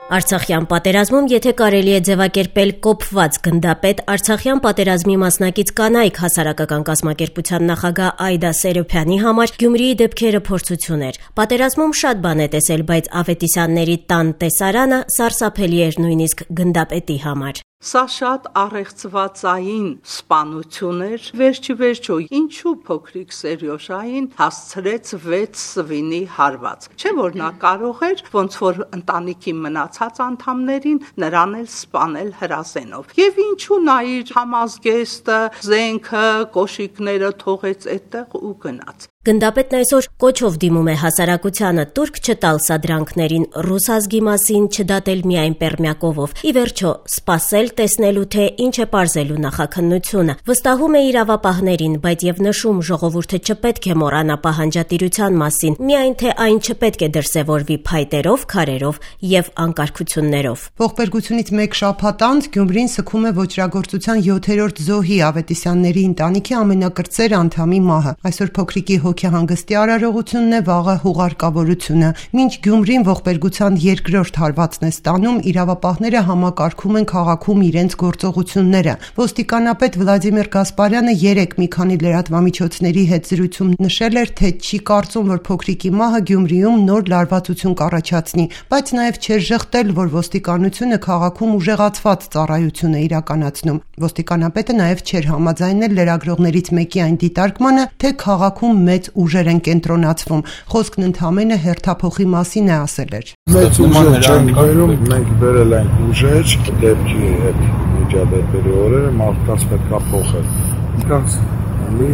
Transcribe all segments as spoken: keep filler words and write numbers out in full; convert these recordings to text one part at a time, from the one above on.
Արցախյան պատերազմում, եթե կարելի է ձևակերպել կոփված գնդապետ, Արցախյան պատերազմի մասնակից կանայք հասարակական կազմակերպության նախագահ Այդա Սերոբյանի համար Գյումրիի դեպքերը փորձություն էր։ Պատերազմում շատ բան է տեսել, բայց Ավետիսյանների տան տեսարանը սարսափելի էր նույնիսկ գնդապետի համար։ Սա շատ առեղծվածային սպանություն էր, վերջիվերջո ինչու փոքրիկ Սերյոժային հասցրեց վեց սվինի հարված, չէ որ նա կարող էր ոնց որ ընտանիքի մնացած անդամներին նրան էլ սպանել հրազենով, եւ ինչու նա իր համազգեստը, զենքը, կոշիկները թողեց այդտեղ ու գնաց։ Գնդապետն այսօր կոչով դիմում է հասարակությանը տուրք չտալ սադրանքներին, ռուս ազգի մասին չդատել միայն պերմյակովով, ի վերջո սպասել տեսնելու թե ինչ է պարզելու նախաքննությունը, վստահում է իրավապահներին, բայց եւ նշում ժողովուրդը չպետք է մոռանա պահանջատիրության մասին, միայն թե այն չպետք է դրսևորվի փայտերով, քարերով եւ անկարգություններով։ Ողբերգությունից մեկ շաբաթ անց Գյումրին սգում է ոճրագործության յոթերորդ զոհի Ավետիսյանների ընտանիքի ամենակրտսեր անդամի մահը։ Այսօր փոքրիկի հոգեհանգստի արարողությունն է, վաղը հուղարկավորությունը։ Մինչ Գյումրին ողբերգության երկրորդ հարվածն է ստանում, իրավապահները համակարգում են քաղաքում իրենց գործողությունները։ Ոստիկանապետ Վլադիմիր Գասպարյանը երեկ մի քանի լրատվամիջոցների հետ զրույցում նշել էր, թե չի կարծում, որ փոքրիկի մահը Գյումրիում նոր լարվածություն կառաջացնի, բայց նաև չէր ժխտել, որ ոստիկանությունը քաղաքում ուժեղացված ծառայություն է իրականացնում։ Ոստիկանապետը նաև չէր համաձայնել լրագրողներից մեկի այն դիտարկմանը, թե քաղաքում մեծ ուժեր են կենտրոնացվում։ Խոսքն ընդհանրապես հերթափոխի մասին է, ասել էր։ Մեծ ուժեր չեն գայրում, մենք բերել ենք ուժեր, դեպքի հետ միջադեպերի օրերը մարդկանց պետք է փոխել։ Մարդկանց մի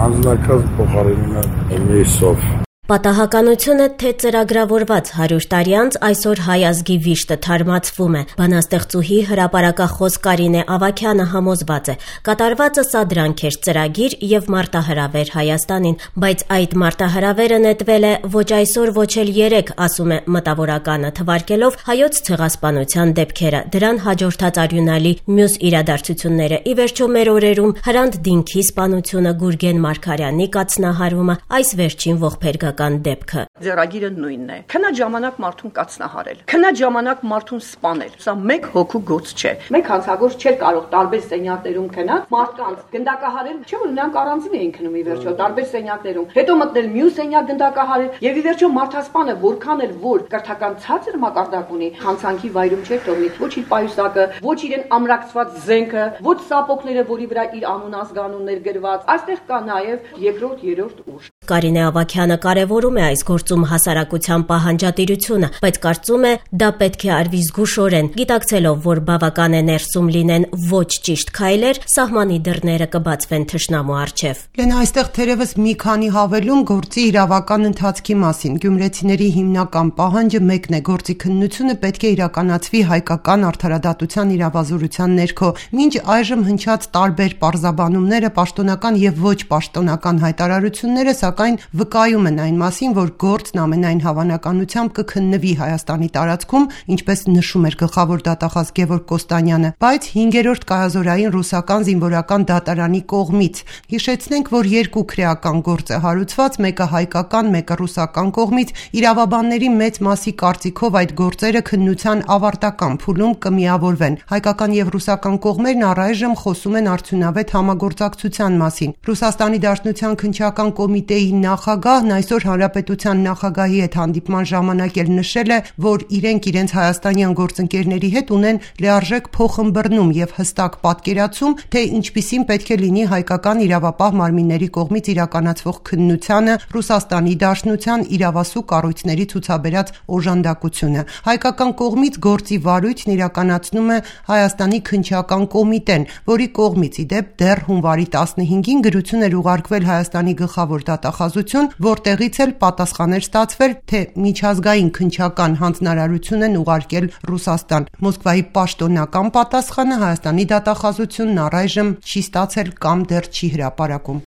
անձնակազմ փոխարինումը միսով։ Պատահականությունը, թե ծրագրավորված հարյուր տարի անց այսօր հայ ազգի վիշտը թարմացվում է։ Բանաստեղծուհի հրապարակախոս Կարինե Ավագյանը համոզված է, կատարվածը սադրանք էր, ծրագիր եւ մարտահրավեր Հայաստանին, բայց այդ մարտահրավերը նետվել է ոչ այսօր, ոչ էլ երեք, ասում է մտավորականը, թվարկելով հայոց ցեղասպանության դեպքերը, դրան հաջորդած արյունալի մյուս իրադարձությունները, ի վերջո մեր օրերում Հրանտ Դինքի սպանությունը, Գուրգեն Մարգարյանի կացնահարումը, այս վերջին ողբերգական դեպքը։ Ձեռագիրը նույնն է։ Քնած ժամանակ մարդուն կացնահարել, քնած ժամանակ մարդուն սպանել։ Սա մեկ հոգու գործ չէ։ Մեկ հանցագործ չէր կարող տարբեր սենյակներում քնած մարդկանց գնդակահարել, չէ՞ որ նրանք առանձին էին քնում ի վերջո տարբեր սենյակներում։ Հետո մտնել մյուս սենյակ գնդակահարել եւ ի վերջո մարդասպանը որքան էլ որ կրթական ցածր մակարդակ ունի, հանցանքի վայրում չէր թողնի ոչ իր պայուսակը, ոչ իրեն ամրակցված զենքը, ոչ սապոկները, որի վրա իր անուն ազգանուններ գրված։ Այստեղ կա նաեւ երկրորդ, երրորդ ուժ։ Կարինե Ավագյանը կարևորում է այս գործում հասարակության պահանջատիրությունը, բայց կարծում է դա պետք է արվի զգուշորեն, գիտակցելով, որ բավական է ներսում լինեն ոչ ճիշտ քայլեր, սահմանի դռները կբացվեն թշնամու առջև։ Լենա, այստեղ թերևս մի քանի հավելում գործի իրավական ընթացքի մասին։ Գյումրեցիների հիմնական պահանջը մեկն է՝ գործի քննությունը պետք է իրականացվի հայկական արդարադատության իրավազորության ներքո։ Մինչ այժմ հնչած տարբեր պարզաբանումները, պաշտոնական եւ ոչ պաշտոնական հայտարարությունները, սակայն վկայում են այն մասին, որ գործն ամենայն հավանականությամբ կքննվի Հայաստանի տարածքում, ինչպես նշում էր գլխավոր դատախազ Գևորգ Կոստանյանը, բայց հինգերորդ կայազորային ռուսական զինվորական դատարանի կողմից։ Հիշեցնենք, որ երկու քրեական գործ է հարուցված, մեկը հայկական, մեկը ռուսական կողմից։ Իրավաբանների մեծ մասի կարծիքով այդ գործերը քննության ավարտական փուլում կմիավորվեն։ Հայկական եւ ռուսական կողմերն առայժմ խոսում են արդյունավետ համագործակցության մասին։ Ռուսաստանի Դաշնության քննչական կոմիտեի նախագահն այսօր Հանրապետության նախագահի հետ հանդիպման ժամանակ էլ նշել է, որ իրենք իրենց հայաստանյան գործընկերների հետ ունեն լիարժեք փոխըմբռնում եւ հստակ պատկերացում, թե ինչպիսին պետք է լինի հայկական իրավապահ մարմինների կողմից իրականացվող քննությանը Ռուսաստանի Դաշնության իրավասու կառույցների ցուցաբերած օժանդակությունը։ Հայկական կողմից գործի վարույթն իրականացնում է Հայաստանի քննչական կոմիտեն, որի կողմից ի դեպ դեռ հունվարի տասնհինգին գրություն էր ուղարկվել Հայաստանի գլխավոր դատախազություն, որտեղից էլ պատասխան էր ստացվել, թե միջազգային քննչական հանձնարարություն են ուղարկել Ռուսաստան։ Մոսկվայի պաշտոնական պատասխանը Հայաստանի դատախազությունն առայժմ չի ստացել կամ դեռ չի հրապարակում։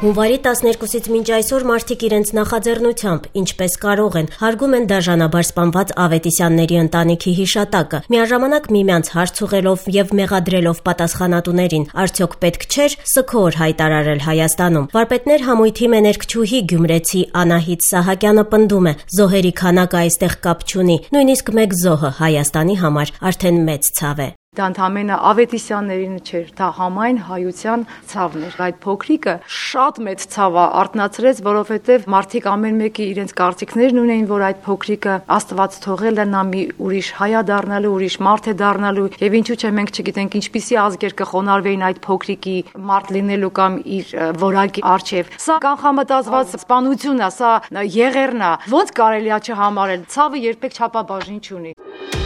Հունվարի տասներկուսից մինչ այսօր մարդիկ իրենց նախաձեռնությամբ, ինչպես կարող են, հարգում են դաժանաբար սպանված Ավետիսյանների ընտանիքի հիշատակը, միաժամանակ միմյանց հարց ուղղելով եւ մեղադրելով պատասխանատուներին, արդյոք պետք չէր սգոր հայտարարել Հայաստանում։ Վարպետներ համույթի մեներկչուհի գյումրեցի Անահիտ Սահակյանը պնդում է, զոհերի քանակը այստեղ կապ չունի, նույնիսկ մեկ զոհը Հայաստանի համար արդեն մեծ ցավ է։ Դա ընդամենը Ավետիսյաններին չէր, դա համայն հայության ցավն էր։ Այդ փոքրիկը շատ մեծ ցավ արթնացրեց, որովհետև մարդիկ ամեն մեկի իրենց կարծիքներն ունեին, որ այդ փոքրիկը Աստված թողել է, նա մի ուրիշ հայ է դառնալու, ուրիշ մարդ է դառնալու, եւ ինչու՞ չէ մենք չգիտենք ինչպիսի ազգեր կխոնարհվեին այդ փոքրիկի մարդ լինելու կամ իր որակի արչեւ։ Սա կանխամտածված սպանություն է, սա եղերն է։ Ոնց կարելի է չհամարել։ Ցավը երբեք չափաբաժին չունի։